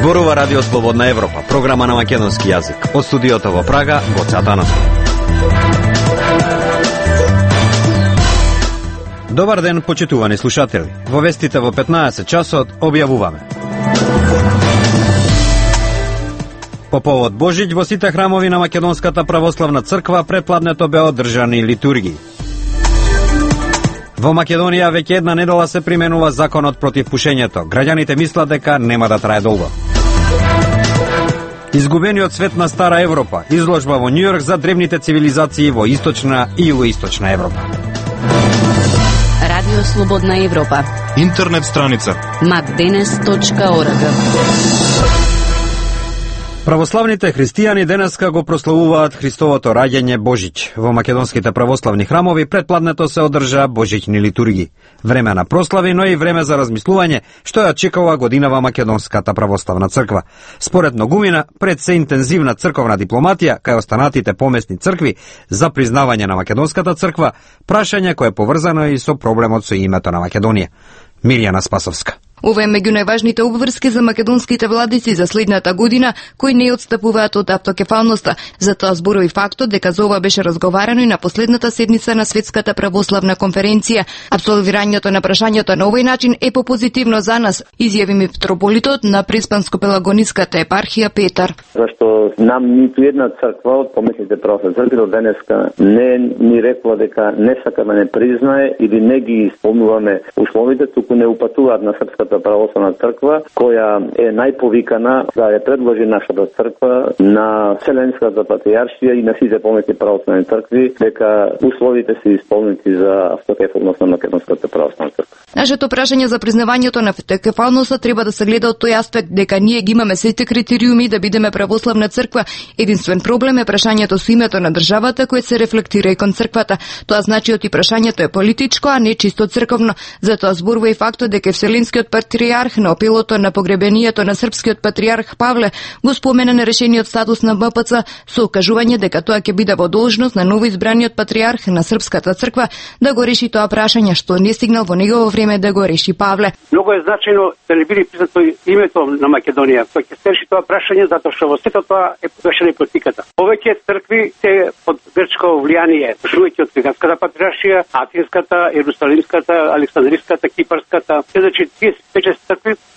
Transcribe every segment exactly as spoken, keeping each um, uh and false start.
Зборува Радио Слободна Европа, програма на македонски јазик. Од студиото во Прага, Гоце Атанасов. Добар ден, почитувани слушатели. Во вестите во петнаесет часот објавуваме. По повод Божиќ во сите храмови на Македонската православна црква предпладнето беа одржани литургии. Во Македонија веќе една недела се применува законот против пушењето. Граѓаните мислат дека нема да трае долго. Изгубениот свет на Стара Европа, изложба во Њујорк за древните цивилизации во Источна и Југоисточна Европа. Радио Слободна Европа. Интернет страница макденес точка орг. Православните христијани денеска го прославуваат Христовото раѓање Божиќ. Во македонските православни храмови предпладнето се одржа божиќни литургии. Време на прослави, но и време за размислување што ја чекала годинава Македонската православна црква. Според многумина, пред се интензивна црковна дипломатија кај останатите помесни цркви за признавање на Македонската црква, прашање кое е поврзано и со проблемот со името на Македонија. Мирјана Спасовска. Ова е меѓу најважните обврски за македонските владици за следната година, кои не отстапуваат од автокефалноста. Затоа зборови фактот дека за ова беше разговарано и на последната седница на Светската православна конференција. Абсолвирањето на прашањето на овој начин е попозитивно за нас, изјави митрополитот на Преспанско-пелагониската епархија Петар. Зашто нам ниту една црква од помесните православни цркви до денеска не ни рекла дека не сака да не признае или не ги исполнуваме условите, туку не упатуваат на Српската православна црква, која е најповикана да ја предложи нашата црква на Вселенската патријаршија и на сите помесни православни цркви, дека условите се исполнети за автокефалност на Македонската православна црква. Нашето прашање за признавањето на автокефалноста треба да се гледа од тој аспект дека ние ги имаме сите критериуми да бидеме православна црква. Единствен проблем е прашањето со името на државата кое се рефлектира и кон црквата. Тоа значи оти прашањето е политичко, а не чисто црковно. Затоа зборува и фактот дека Вселенскиот патријарх на опилото на погребението на српскиот патријарх Павле го спомена на решениот статус на М П Ц со укажување дека тоа ќе биде во должност на новоизбраниот патријарх на Српската црква да го реши тоа прашање што не стигнал во негово време да го реши Павле. Многу е значајно да не биде признато името на Македонија, кој ќе се реши тоа прашање затоа што во сето тоа е погрешена политиката. Повеќе цркви се под грчко влијание, почнувајќи од Риганската патријаршија, Атинската, Ерусалимската, Александриската, Кипарската, значи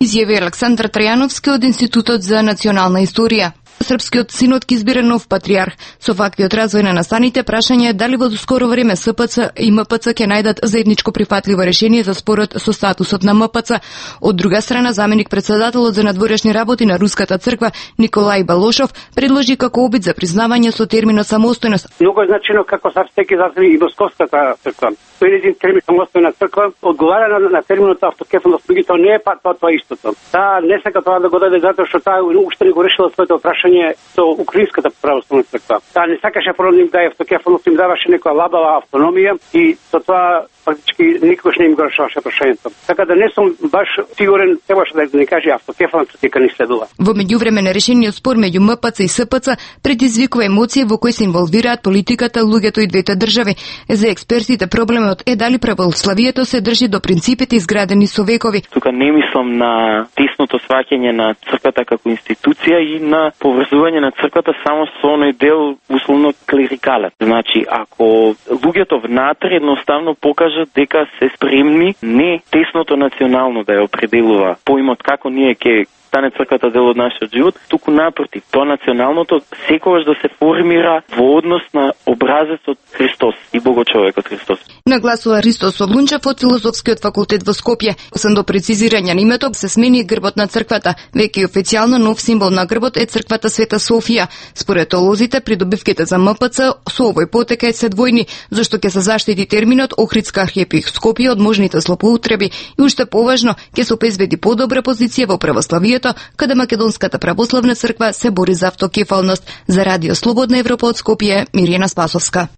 изјави Александар Трајановски од Институтот за национална историја. Српскиот синод ќе избере нов патријарх. Со ваквиот развој на настаните, прашање е дали во скоро време С П Ц и М П Ц ќе најдат заедничко прифатливо решение за спорот со статусот на М П Ц. Од друга страна, заменик председателот за надворешни работи на Руската црква Николај Балошов предложи како обид за признавање со терминот самостојност. Многу е значено како Српската црква и Московската црква. Тој е един термин самостојна црква, одговара на, на терминот автокефалност, меѓутоа не е па тоа тоа истото. Таа не сака тоа да го даде затоа што таа уште не го решила своето прашање со Украинската православна црква. Таа не сакаше прво да им даде автокефалност, им даваше некоја лабава автономија и со тоа фактички никош не им го решаваше прашањето. Така да не сум баш сигурен, требаше да не каже автокефалност дека ни следува. Во меѓувреме решениот спор меѓу М П Ц и С П Ц предизвикува емоции во кои се инволвираат политиката, луѓето и двете држави. За експертите проблемот е дали православието се држи до принципите изградени со векови. Тука не мислам на тесното сваќање на црквата како институција и на поврзување на црквата само со оној дел условно клерикален. Значи, ако луѓето внатре едноставно покажат дека се спремни не тесното национално да ја определува поимот како ние ќе стане црквата дел од нашиот живот, туку напротив, тоа националното секогаш да се формира во однос на образецот Христос и Богочовекот Христос. Нагласува Ристо Соблунчев од Филозофскиот факултет во Скопје. Освен до прецизирање на името, се смени грбот на црквата. Веќе официјално нов символ на грбот е црквата Света Софија. Според теолозите, придобивките за М П Ц со овој потека се двојни, зашто ќе се заштити терминот Охридска архиепископија од можните злоупотреби и уште поважно ќе се обезбеди подобра позиција во православието, каде Македонската православна црква се бори за автокефалност. За Радио Слободна Европа од Скопје, Мирјана Спасовска.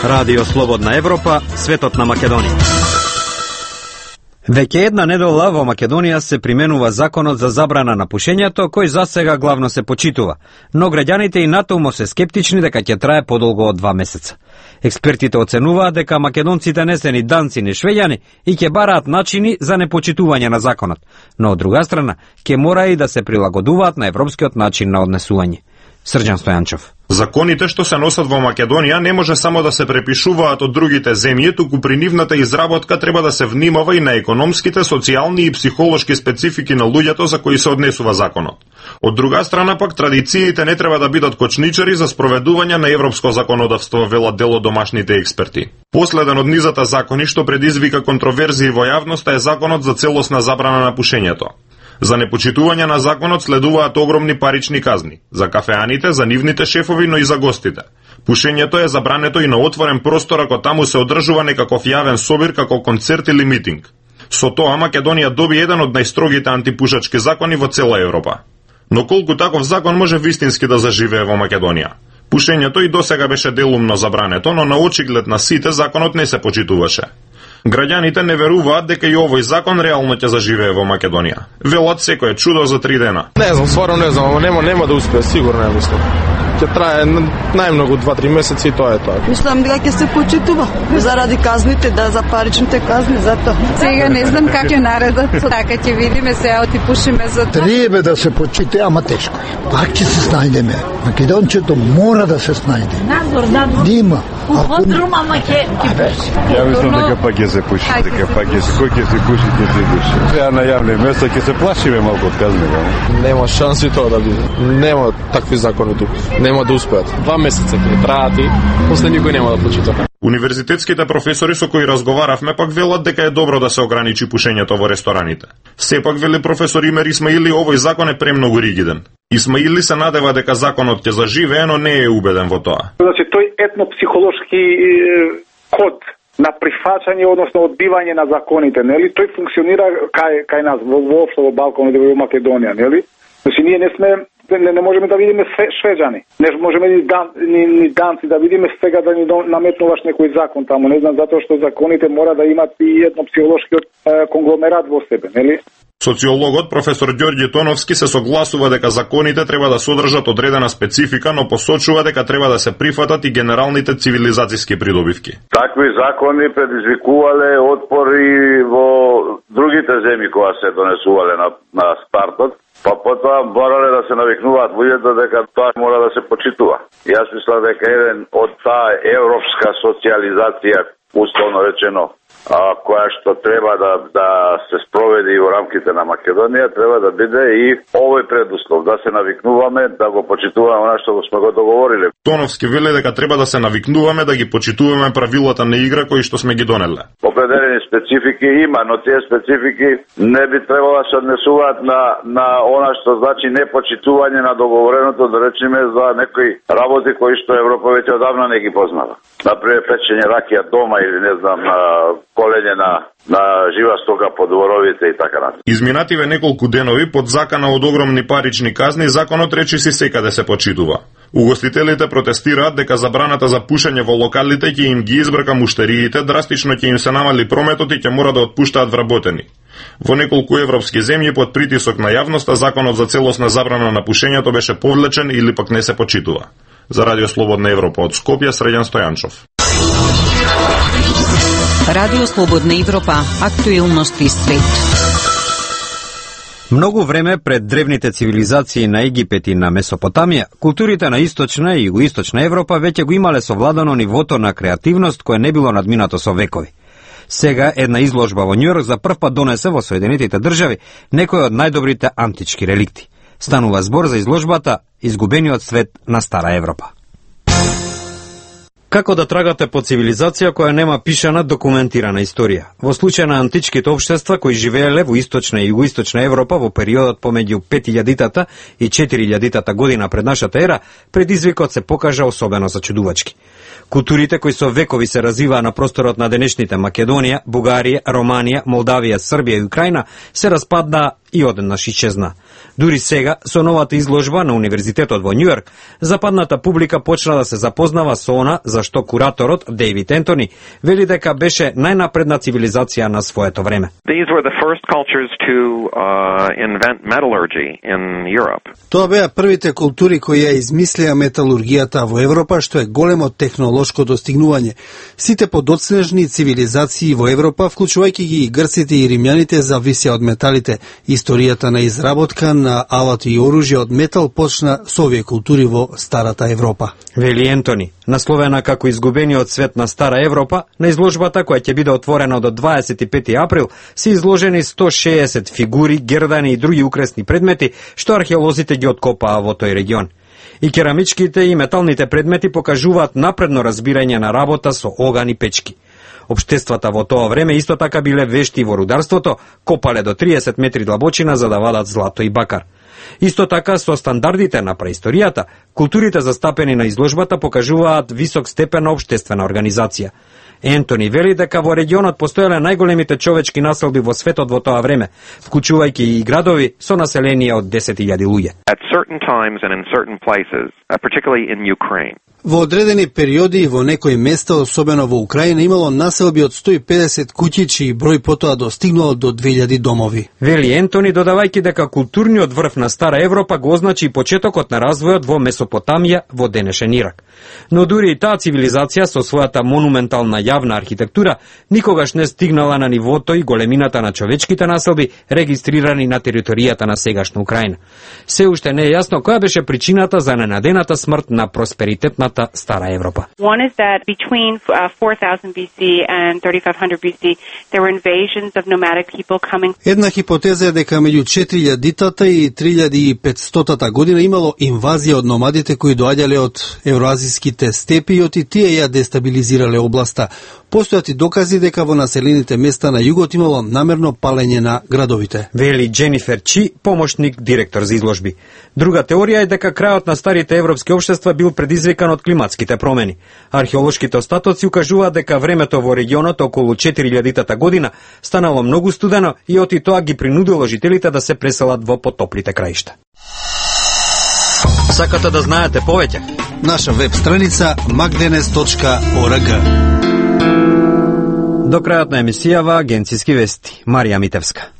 Радио Слободна Европа, светот на Македонија. Веќе една недела во Македонија се применува законот за забрана на пушењето, кој засега главно се почитува, но граѓаните и натаму се скептични дека ќе трае подолго од два месеца. Експертите оценуваат дека македонците не се ни данци ни швеѓани и ќе бараат начини за непочитување на законот, но од друга страна ќе мора и да се прилагодуваат на европскиот начин на однесување. Срđan Стојанчов. Законите што се носат во Македонија не може само да се препишуваат од другите земји, туку при нивната изработка треба да се внимава и на економските, социјални и психолошки специфики на луѓето за кои се однесува законот. Од друга страна пак традициите не треба да бидат кочничари за спроведување на европско законодавство, велат дел од домашните експерти. Последен од низата закони што предизвика контроверзии во јавноста е законот за целосна забрана на пушењето. За непочитување на законот следуваат огромни парични казни, за кафеаните, за нивните шефови, но и за гостите. Пушењето е забрането и на отворен простор ако таму се одржува некаков јавен собир како концерт или митинг. Со тоа Македонија доби еден од најстрогите антипушачки закони во цела Европа. Но колку таков закон може вистински да заживее во Македонија? Пушењето и досега беше делумно забрането, но на очиглед на сите законот не се почитуваше. Граѓаните не веруваат дека и овој закон реално ќе заживее во Македонија. Велат секој чудо за три дена. Не знам, стварно не знам, нема нема да успее, сигурно не мислам. Ќе трае најмногу два-три месеци и тоа е тоа. Мислам дека ќе се почитува заради казните, да, за паричните казни, затоа. Сега не знам как ќе наредат, така ќе видиме, се оти пушиме за тоа. Треба да се почите, ама тешко е. Пак ќе се снајдеме. Македончето мора да се снајде. Надзор, надзор. Дима. Уфотрум, ама ќе пуши. Ја мислам дека пак ќе се пуши, дека пак ќе се кој ќе се пуши, ќе се пуши. Сега на јавни места ќе се плашиме малку од казни. Нема шанси тоа да биде. Нема такви закони тука. Нема да успеат. Два месеца ќе траат и после никој нема да почита. Универзитетските професори со кои разговаравме пак велат дека е добро да се ограничи пушењето во рестораните. Сепак, вели професор Имер Исмаили, овој закон е премногу ригиден. Исмаили се надева дека законот ќе заживее, но не е убеден во тоа. Значи, тој етнопсихолошки код на прифаќање, односно одбивање на законите, нели? Тој функционира кај кај нас во воопшто во Балканот и во Македонија, нели? Значи ние не сме не, не можеме да видиме швеđани. Не можеме ни, дан, ни, ни данци да видиме сега да ни наметнуваш некој закон таму, не знам, затоа што законите мора да имат и едно психолошкиот е, конгломерат во себе, нели? Социологот професор Ѓорѓе Тоновски се согласува дека законите треба да содржат одредена специфика, но посочува дека треба да се прифатат и генералните цивилизацијски придобивки. Такви закони предизвикувале отпори во другите земји кога се донесувале на, на стартот, па потоа морале да се навикнуваат луѓето дека тоа мора да се почитува. Јас мислам дека еден од таа европска социализација, условно речено, а, која што треба да, да се спроведе и во рамките на Македонија, треба да биде и овој предуслов, да се навикнуваме, да го почитуваме она што сме го договориле. Тоновски вели дека треба да се навикнуваме да ги почитуваме правилата на игра кои што сме ги донеле. Определени специфики има, но тие специфики не би требало да се однесуваат на, на она што значи непочитување на договореното, да речеме, за некои работи кои што Европа веќе одавна не ги познава. Например, печење ракија дома или не знам, колење на на жива стока по дворовите и така натаму. Изминативе неколку денови под закана од огромни парични казни, законот речиси секаде се почитува. Угостителите протестираат дека забраната за пушење во локалите ќе им ги избрка муштериите, драстично ќе им се намали прометот и ќе мора да отпуштаат вработени. Во неколку европски земји под притисок на јавноста законот за целосна забрана на пушењето беше повлечен или пак не се почитува. За Радио Слободна Европа од Скопје, Срđan Стојанчов. Радио Слободна Европа, актуелности свет. Многу време пред древните цивилизации на Египет и на Месопотамија, културите на источна и југоисточна Европа веќе го имале совладано нивото на креативност кое не било надминато со векови. Сега една изложба во Њујорк за прв пат донесе во Соединетите држави некои од најдобрите антички реликти. Станува збор за изложбата Изгубениот свет на Стара Европа. Како да трагате по цивилизација која нема пишана документирана историја? Во случај на античките општества кои живееле во источна и југоисточна Европа во периодот помеѓу пет илјадитата и четири илјадитата година пред нашата ера, предизвикот се покажа особено зачудувачки. Културите кои со векови се развиваа на просторот на денешните Македонија, Бугарија, Романија, Молдавија, Србија и Украина се распаднаа и одеднаш исчезна. Дури сега, со новата изложба на Универзитетот во Њујорк, западната публика почна да се запознава со она за што кураторот Дейвид Ентони вели дека беше најнапредна цивилизација на своето време. These were the first cultures to uh, invent metallurgy in Europe. Тоа беа првите култури кои ја измислија металургијата во Европа, што е големо технолошко достигнување. Сите подоцнежни цивилизации во Европа, вклучувајќи ги и грците и римјаните, зависеа од металите. Историјата на изработка на алати и оружје од метал почна со овие култури во старата Европа. Вели Ентони, насловена како изгубениот свет на стара Европа, на изложбата која ќе биде отворена до дваесет и пети април се изложени сто шеесет фигури, гердани и други украсни предмети што археолозите ги откопаа во тој регион. И керамичките и металните предмети покажуваат напредно разбирање на работа со оган и печки. Обштествата во тоа време исто така биле вешти во рударството, копале до триесет метри длабочина за да вадат злато и бакар. Исто така, со стандардите на преисторијата, културите застапени на изложбата покажуваат висок степен на обштествена организација. Ентони вели дека во регионот постоеле најголемите човечки населби во светот во тоа време, вклучувајќи и градови со население од десет илјади луѓе. At certain times and in certain places, uh, particularly in Ukraine. Во одредени периоди и во некои места, особено во Украина, имало населби од сто и педесет куќи, чиј број потоа достигнал до две илјади домови. Вели Ентони, додавајќи дека културниот врв на стара Европа го означи почетокот на развојот во Месопотамија, во денешен Ирак. Но дури и таа цивилизација со својата монументална јавна архитектура никогаш не стигнала на нивото и големината на човечките населби регистрирани на територијата на сегашна Украина. Се уште не е јасно која беше причината за ненадената смрт на просперитетната стара Европа. One is that between uh, four thousand B C and thirty-five hundred B C there were invasions of nomadic people coming. Една хипотеза е дека меѓу четири илјадитата и три илјади и петстотата година имало инвазија од номадите кои доаѓале од евроазиските степи и оти тие ја дестабилизирале областа. Постојат и докази дека во населените места на југот имало намерно палење на градовите. Вели Дженифер Чи, помошник директор за изложби. Друга теорија е дека крајот на старите европски општества бил предизвикан од климатските промени. Археолошките остатоци укажуваат дека времето во регионот околу четири илјадитата година станало многу студено и оти тоа ги принудило жителите да се преселат во потоплите краишта. Сакате да знаете повеќе? Наша веб страница magdenes точка org. До крајот на емисијава агенциски вести. Марија Митевска.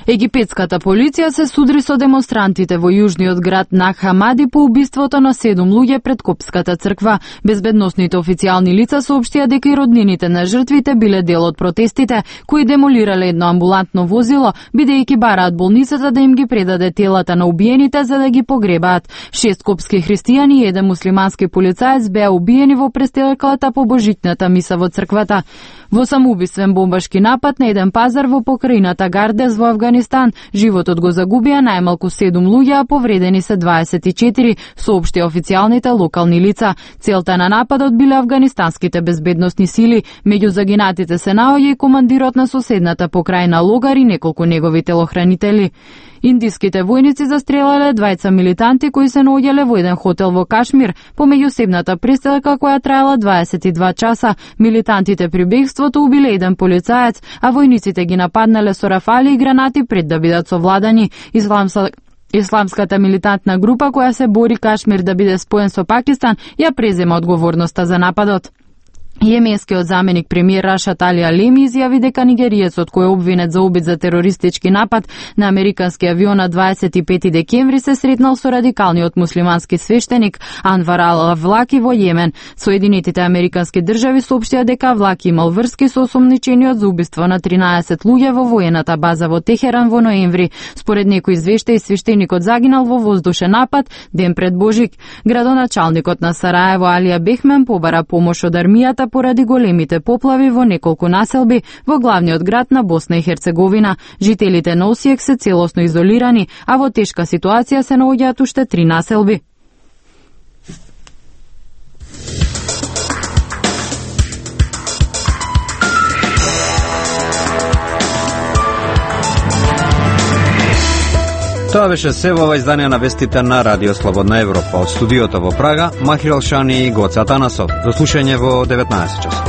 Египетската полиција се судри со демонстрантите во јужниот град Нахамади по убиството на седум луѓе пред Копската црква. Безбедносните официјални лица соопштија дека и роднините на жртвите биле дел од протестите, кои демолирале едно амбулантно возило, бидејќи бараат болницата да им ги предаде телата на убиените за да ги погребаат. Шест копски христијани и еден муслимански полицаец беа убиени во престрелката по божитната миса во црквата. Во самоубиствен бомбашки напад на еден пазар во покрајината Гардес во Авганистан, животот го загубија најмалку седум луѓе, а повредени се дваесет и четири, соопшти официјалните локални лица. Целта на нападот биле афганистанските безбедносни сили, меѓу загинатите се наоѓа и командирот на соседната покрајна Логар и неколку негови телохранители. Индиските војници застрелале двајца милитанти кои се наоѓале во еден хотел во Кашмир, по меѓусебната пристрелка која траела дваесет и два часа. Милитантите при бегството убиле еден полицаец, а војниците ги нападнале со рафали и гранати пред да бидат совладани. Исламска Исламската милитантна група која се бори Кашмир да биде споен со Пакистан ја презема одговорноста за нападот. Јеменскиот заменик премиер Рашад Али Алеми изјави дека нигериецот кој е обвинет за обид за терористички напад на американски авион на дваесет и пети декември се сретнал со радикалниот муслимански свештеник Анвар ал-Авлаки во Јемен. Соединетите американски држави соопштија дека Авлаки имал врски со осомничениот за убиство на тринаесет луѓе во воената база во Техеран во ноември. Според некои извештаи, свештеникот загинал во воздушен напад ден пред Божик. Градоначалникот на Сараево Алија Бехмен побара помош од армијата поради големите поплави во неколку населби во главниот град на Босна и Херцеговина. Жителите на Осијек се целосно изолирани, а во тешка ситуација се наоѓаат уште три населби. Тоа беше се во ова издание на вестите на Радио Слободна Европа. Од студиото во Прага, Махир Алшани и Гоца Танасов. До слушање во деветнаесет часот.